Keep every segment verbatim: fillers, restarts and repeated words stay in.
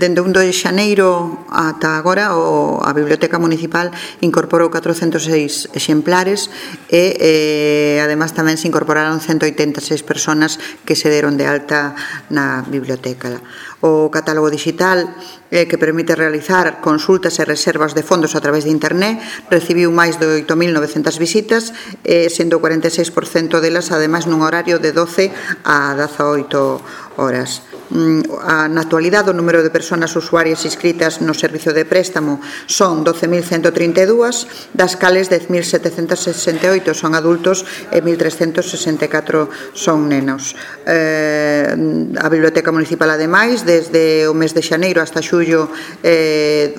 dende o un de xaneiro ata agora a Biblioteca Municipal incorporou catrocentos e seis exemplares e, eh, además, tamén se incorporaron ciento oitenta e seis personas que se deron de alta na biblioteca. O catálogo digital, eh, que permite realizar consultas e reservas de fondos a través de internet, recibiu máis de oito mil novecentas visitas, eh, sendo o cuarenta e seis por cento delas, ademais, nun horario de doce a dezaoito horas. Na actualidade, o número de persoas usuarias inscritas no servicio de préstamo son doce mil ciento trinta e dúas, das cales dez mil setecentos sesenta e oito son adultos e mil trescentos sesenta e catro son nenos. Eh, a Biblioteca Municipal, ademais, desde o mes de xaneiro hasta xullo, eh,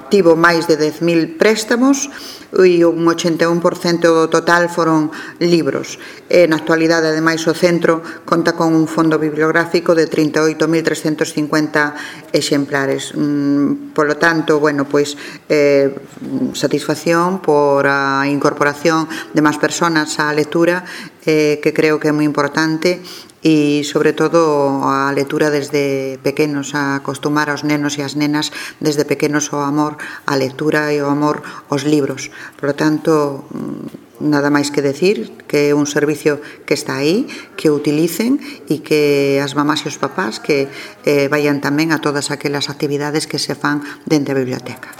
tivo máis de dez mil préstamos e un ochenta e un por cento do total foron libros. E, na actualidade, ademais, o centro conta con un fondo bibliográfico de trinta e oito mil trescentos cincuenta exemplares. Por lo tanto, bueno, pois, eh, satisfacción por a incorporación de máis persoas á lectura, eh, que creo que é moi importante, e, sobre todo, a lectura desde pequenos, a acostumar aos nenos e as nenas desde pequenos ao amor á lectura e ao amor aos libros. Por lo tanto, nada máis que decir que é un servicio que está aí, que o utilicen e que as mamás e os papás que eh, vayan tamén a todas aquelas actividades que se fan dentro da biblioteca.